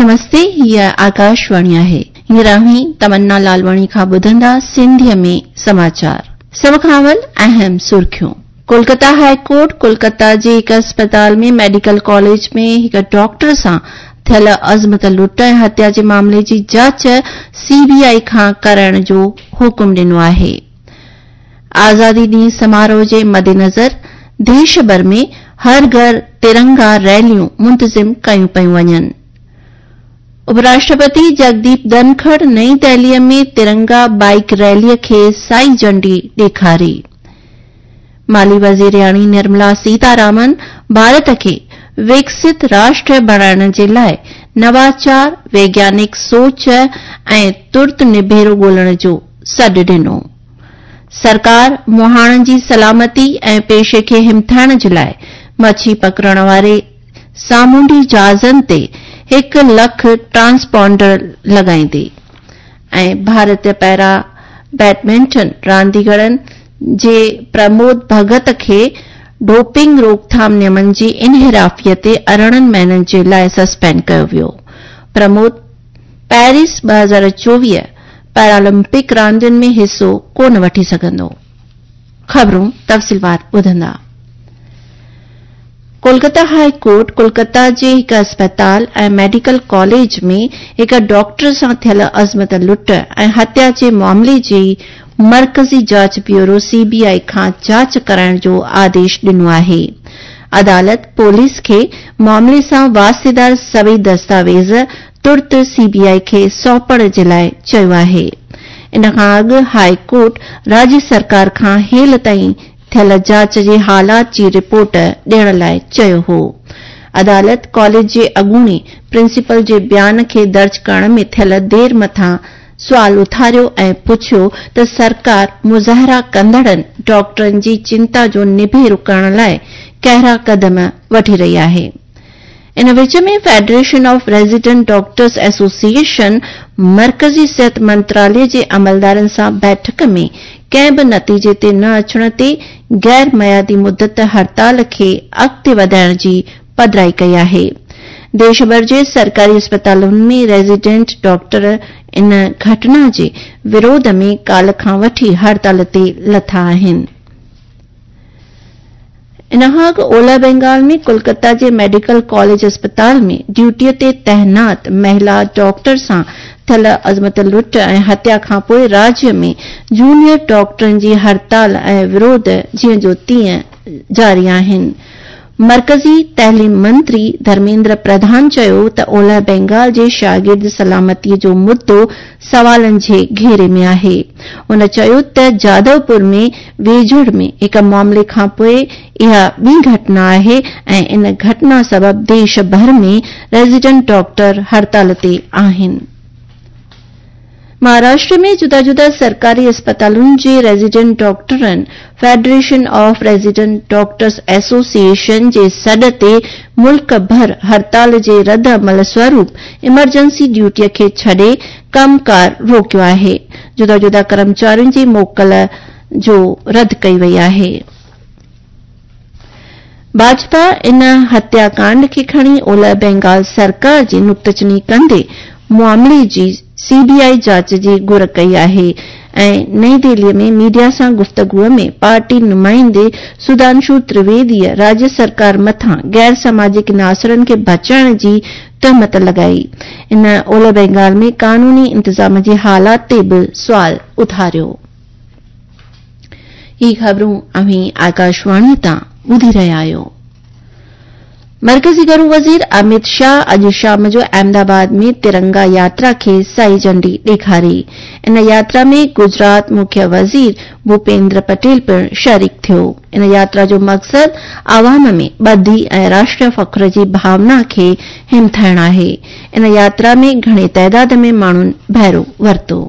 نمستي، هيء آڪاشواڻي آهي. هينئر اوهين تمنا لالواڻي کان ٻڌندا سنڌيء ۾ سماچار. سڀ کان اول اهم سرخيون. ڪولڪتا هاء ڪورٽ ڪولڪتا جي هڪ اسپتال ۾ ميڊيڪل ڪاليج ۾ هڪ ڊاڪٽر سان ٿيل عصمت لٽ ۽ هتيا جي معاملي جي جاچ سي بي آء کان ڪرائڻ جو حڪم ڏنو آهي. آزادي ڏينهن سماروهه جي مدنظر ديش ڀر ۾ هر گهر ترنگا ريليون منتظم ڪيون پيون وڃن. اپراشٽرپتي جگديپ ڌنکڙ نئين دهليء ۾ ترنگا بائيڪ ريليء کي سائي جهنڊي ڏيکاري. مالي وزيرياڻي نرملا سيتارامن ڀارت کي وڪست راشٽر بڻائڻ جي لاء نواچار، ويگيانڪ سوچ ۽ ترت نبيرو ڳولڻ جو سڏ ڏنو. سرڪار مهاڻن جي سلامتي ۽ پيشي کي همٿائڻ جي لاء مڇي پڪڙڻ واري سامونڊي جهازن تي هڪ لک ٽرانسپانڊر لڳائيندي ۽ ڀارتي پيرا بيڊمنٽن رانديگرن جي پرمود ڀڳت کي ڊوپنگ روڪٿام نيمن جي انحرافي تي 18 مهينن جي لاء سسپينڊ ڪيو ويو. پرمود پيرس 2024 پيرالمپڪ راندين ۾ حصو ڪونه وٺي سگهندو. خبرون تفصيلوار ٻڌندا. ڪولڪتا هاء ڪورٽ ڪولڪتا جي هڪ اسپتال ۽ ميڊيڪل ڪاليج ۾ هڪ ڊاڪٽر سان ٿيل عصمت لٽ ۽ هتيا جي معاملي جي مرڪزي جاچ بيورو سي بي آء کان جاچ ڪرائڻ جو آديش ڏنو آهي. عدالت پوليس کي معاملي سان واسطيدار سڀئي دستاويز ترت سي بي آء کي سونپڻ جي لاء چيو آهي. ان کان اڳ هاء ڪورٽ راڄ سرڪار کان هيل تائين ٿيل جاچ جي حالات جي رپورٽ ڏيڻ لاء چيو هو. عدالت ڪاليج جي اڳوڻي پرنسپل جي بيان کي درج ڪرڻ ۾ ٿيل دير مٿان سوال اٿاريو ۽ پڇيو ته سرڪار مظاهرا ڪندڙن ڊاڪٽرن جي چنتا جو نبيرو ڪرڻ لاء ڪهڙا قدم وٺي رهي آهي. ان وچ ۾ federation of resident doctors association مرڪزي صحت منتراليه جي عملدارن سان بيٺڪ ۾ ڪنهن به نتيجي تي نه اچڻ تي غير ميعادي مدت هڙتال کي اڳتي وڌائڻ جي پڌرائي ڪئي آهي. ديش ڀر جي سرڪاري اسپتالن ۾ ريزيڊنٽ ڊاڪٽر ان گهٽنا جي وروڌ ۾ ڪالهه کان وٺي هڙتال تي لٿا آهن. ان کان اڳ اولهه بينگال ۾ ڪولڪتا جي ميڊيڪل ڪاليج اسپتال ۾ ڊيوٽيء تي تعينات مهلا ڊاڪٽر سان ٿيل عصمت لٽ ۽ هتيا کانپوء راجيه ۾ جونيئر ڊاڪٽرن جي هڙتال ۽ وروڌ جيئن جو تيئن جاري آهن. مرڪزي تعليم منتري ڌرميندر پرڌان چيو ته اولهه بينگال جي شاگرد سلامتي جو مدو سوالن جي گهيري ۾ آهي. هن چيو ته جادوپور ۾ ويجهڙ ۾ هڪ معاملي کانپوء اها ٻي گهٽنا آهي ۽ ان گهٽنا سبب ديش ڀر ۾ ريزيڊنٽ ڊاڪٽر هڙتال تي آهن. مهاراشٽر ۾ جدا جدا سرڪاري اسپتالن جي ريزيڊنٽ ڊاڪٽرن federation of resident doctors association جي سڏ تي ملڪ ڀر هڙتال جي رد عمل سوروپ ايمرجنسي ڊيوٽي کي ڇڏي ڪم ڪار روڪيو آهي. جدا جدا ڪرمچارين جي موڪل جو رد ڪئي وئي آهي. ڀاجپا ان هتيا ڪانڊ کي کڻي اولهه بينگال سرڪار جي نقطچيني ڪندي معاملي جي سي بي آء جاچ جي گهر ڪئي آهي ۽ نئين دهلي ۾ ميڊيا سان گفتگو ۾ پارٽي نمائندي سڌانشو ترويدي راجيه سرڪار مٿان غير سماجڪ عناصرن کي بچائڻ جي تهمت لڳائي. ان اولهه بينگال ۾ قانوني انتظام جي حالات تي به سوال اٿاريو. هي خبرون اوهين آڪاشواڻي تان ٻڌي رهيا آهيو. مرڪزي گهرو وزير اميت شاهه اڄ شام جو احمد آباد ۾ ترنگا ياترا کي سائي جهنڊي ڏيکاري. ان ياترا ۾ گجرات مکيه وزير ڀوپيندر پٽيل پڻ شريڪ ٿيو. ان ياترا جو مقصد عوام ۾ ٻڌي ۽ راشٽريه فخر جي ڀاونا کي همٿائڻ آهي. ان ياترا ۾ گهڻي تعداد ۾ ماڻهن بهرو ورتو.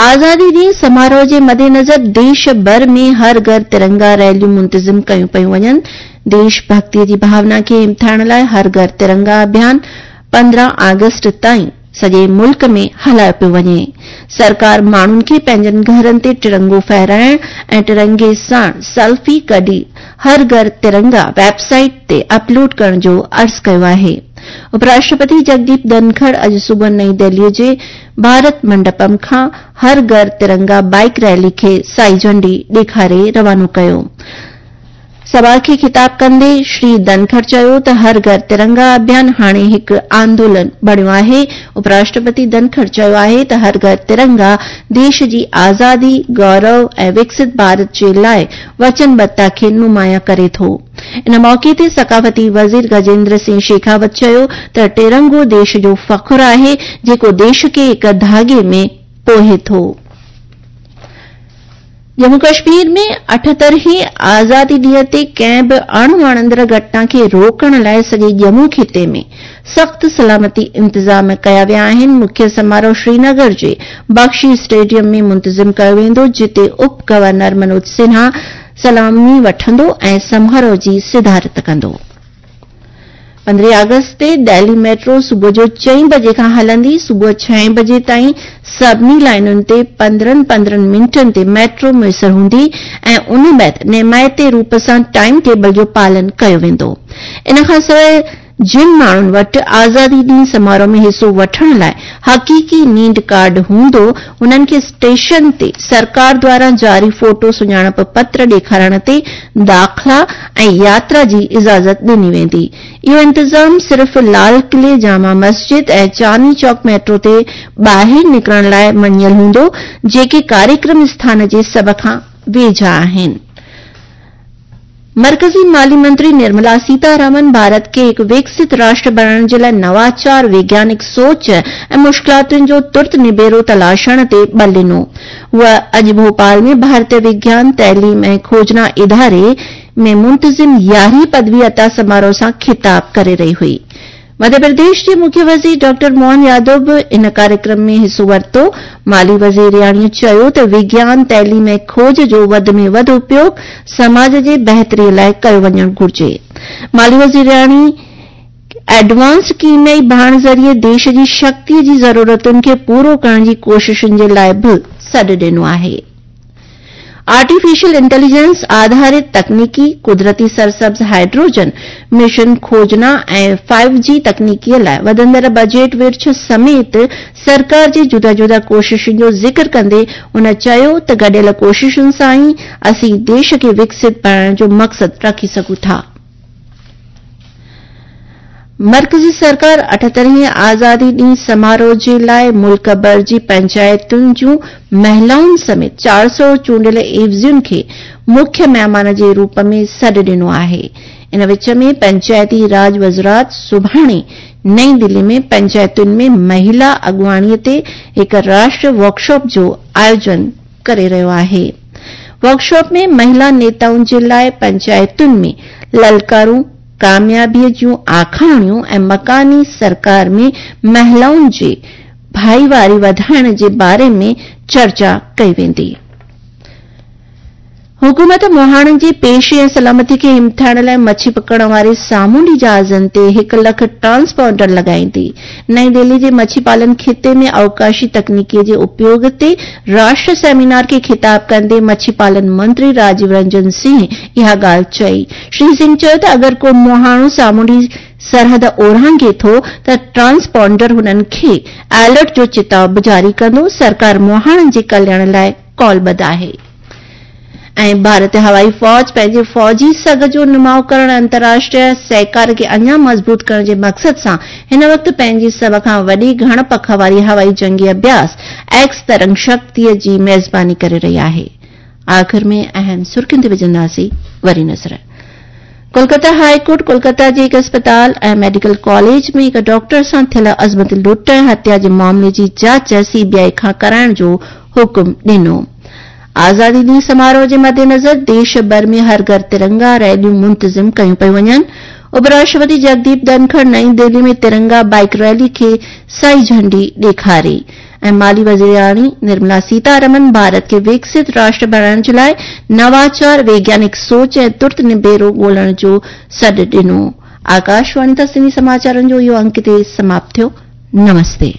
آزادي ڏينهن سماروهه جي مدنظر ديش ڀر ۾ هر گهر ترنگا ريليون منتظم ڪيون پيون وڃن. ديش ڀڳتي جي ڀاونا کي همٿائڻ لاء هر گهر ترنگا اڀيان 15 آگسٽ تائين سڄي ملڪ ۾ هلايو پيو وڃي. سرڪار ماڻهن کي پنهنجن گهرن تي ٽرنگو ڦهرائڻ ۽ ٽرنگي ساڻ سيلفي ڪڍي هر گهر ترنگا ويب سائيٽ تي اپلوڊ ڪرڻ جو عرض ڪيو آهي. उपराष्ट्रपति जगदीप धनखड़ अॼु सुबुह नई दिल्लीअ जे भारत मंडपम खां हर घर तिरंगा बाइक रैली खे साई झंडी ॾेखारे रवानो कयो। सभा खे ख़िताब कंदे श्री धनखड़ चयो त हर घर तिरंगा अभियान हाणे हिकु आंदोलन बणियो आहे। उपराष्ट्रपति धनखड़ चयो आहे त हर घर तिरंगा देश जी आज़ादी, गौरव ऐं विकसित भारत जे लाइ वचनबद्धता खे नुमायां करे थो। इन मौक़े ते सक़ाफ़ती वज़ीर गजेंद्र सिंह शेखावत चयो त टिरंगो देश जो फ़ख़्रु आहे, जेको देश खे हिकु धाॻे में पोए थो। जम्मू कश्मीर में 78वीं आज़ादी ॾींहं ते कंहिं बि अणवणंदड़ घटना खे रोकण लाइ सॼे जम्मू ख़िते में सख़्तु सलामती इंतज़ाम कया विया आहिनि। मुख्य समारोह श्रीनगर जे बख्शी स्टेडियम में मुंतज़िम कयो वेंदो, जिते उप गवर्नर मनोज सिन्हा सलामी वठंदो ऐं समारोह जी सिदारत कंदो। 15 अगस्त ते दिल्ली मेट्रो सुबुह जो 4 बजे खां हलंदी। सुबुह 6 बजे ताईं सभिनी लाइनुनि ते 15-15 मिंटनि ते मेट्रो मुयसर हूंदी ऐं उन बाद निमायती रूप सां टाइम टेबल जो पालन कयो वेंदो। इन खां सवाइ जिन माण्हुनि वटि आज़ादी ॾींहं समारोह में हिसो वठण लाइ हक़ीक़ी नींड कार्ड हूंदो, उन्हनि खे स्टेशन ते सरकार द्वारा जारी फोटो सुञाणप पत्र ॾेखारण ते दाख़िला ऐं यात्रा जी इजाज़त ॾिनी वेंदी। इहो इंतज़ाम सिर्फ़ लाल क़िले, जामा मस्जिद ऐं चांदनी चौक मेट्रो ते ॿाहिरि निकिरण लाइ मञियल हूंदो, जेके कार्यक्रम स्थान जे सभ खां वेझा आहिनि। मरकज़ी माली मंत्री निर्मला सीतारामन भारत खे हिकु विकसित राष्ट्र बणाइण जे लाइ नवाचार, वैज्ञानिक सोच ऐं मुश्किलातुनि जो तुर्त निबेरो तलाशण ते बल ॾिनो। हूअ अॼु भोपाल में भारतीय विज्ञान, तइलीम ऐं खोजना इदारे में मुंतज़िम 11वीं पदवी अता समारोह सां ख़िताब करे रही हुई। मध्य प्रदेश जे मुख्य वज़ीर डॉ. मोहन यादव बि इन कार्यक्रम में हिसो वरितो। माली वज़ीरियाणीअ चयो त विज्ञान, तइलीम ऐं खोज जो वधि में वधि उपयोग समाज जे बहितरीअ लाइ कयो वञणु घुर्जे। माली वज़ीरियाणी एडवांस कीमियाई भाण ज़रिए देश जी शक्तीअ जी ज़रूरतुनि खे पूरो करण जी कोशिशुनि जे लाइ बि सॾु ॾिनो आहे। आर्टिफिशियल इंटेलिजेंस आधारित तकनीकी, कुदरती सरसब्ज़ हाइड्रोजन मिशन खोजना ऐं 5G तकनीकीअ लाइ वधंदड़ बजट विर्छ समेत सरकार जी जुदा-जुदा कोशिशुनि जो ज़िक्र कंदे हुन चयो त गॾियल कोशिशुनि सां ई असीं देश खे विकसित बणाइण जो मक़सदु रखी सघूं था। मरकज़ी सरकार 78वीं आज़ादी ॾींहं समारोह जे लाइ मुल्क भर जी पंचायतुनि जूं महिलाउनि समेत 400 चूंडियल एवज़ियुनि खे मुख्य महिमान जे रूप में सॾु ॾिनो आहे। इन विच में पंचायती राज वज़ारत सुभाणे नई दिल्ली में पंचायतुनि में महिला अॻुवाणीअ ते हिकु राष्ट्रीय वर्कशॉप जो आयोजन करे रहियो आहे। वर्कशॉप में महिला नेताउनि जे लाइ पंचायतुनि में ललकारूं, कामयाबीअ जूं आखाणियूं ऐं मकानी सरकार में महिलाउनि जी भाईवारी वधाइण जे बारे में चर्चा कई वेंदी। हुकूमत मुहाणनि जे पेशे ऐं सलामती खे हिमथाइण लाइ मच्छी पकड़ण वारे सामुंडी जहाज़नि ते 1 लाख ट्रांसपॉन्डर लॻाईंदी। नई दिल्ली जे मच्छी पालन ख़िते में अवकाशी तकनीकीअ जे उपयोग ते राष्ट्रीय सेमिनार खे ख़िताब कंदे मच्छी पालन मंत्री राजीव रंजन सिंह इहा ॻाल्हि चई। श्री सिंह चयो त अगरि को मुहाणो सामुंडी सरहद ओरांघे थो त ट्रांसपॉन्डर हुननि खे अलर्ट जो चिताव बि जारी कंदो। सरकार मुहाणनि जे कल्याण लाइ कॉलबद्ध आहे। ऐं भारतीय हवाई फ़ौज पंहिंजे फ़ौजी सघ जो नुमाउ करण, अंतर्राष्ट्रीय सहकार खे अञा मज़बूत करण जे मक़सद सां हिन वक़्तु पंहिंजी सभ खां वॾी घण पख वारी हवाई जंगी अभ्यास एक्स तरंग शक्तिअ जी मेज़बानी करे रही आहे। आख़िर में अहम सुर्खियुनि ते विझंदासीं वरी नज़र। कोलकाता हाईकोर्ट कोलकाता जे हिकु अस्पताल ऐं मेडिकल कॉलेज में हिकु डॉक्टर सां थियल अज़मत लुट ऐं हत्या जे मामले जी जांच सीबीआई खां कराइण जो हुकुम ॾिनो। आज़ादी ॾींहं समारोह जे मद्देनज़र देश भर में हर घर तिरंगा रैलियूं मुंतज़िम कयूं पयूं वञनि। उपराष्ट्रपति जगदीप धनखड़ नई दिल्ली में तिरंगा बाइक रैली खे साई झंडी ॾेखारी ऐं माली वज़ीरियाणी निर्मला सीतारमन भारत खे विकसित राष्ट्र बणाइण जे लाइ नवाचार, वैज्ञानिक सोच ऐं तुर्त निबेरो ॻोल्हण जो सॾु ॾिनो। आकाशवाणी तां सिंधी समाचारनि जो इहो अंक हिते समाप्त थियो। नमस्ते।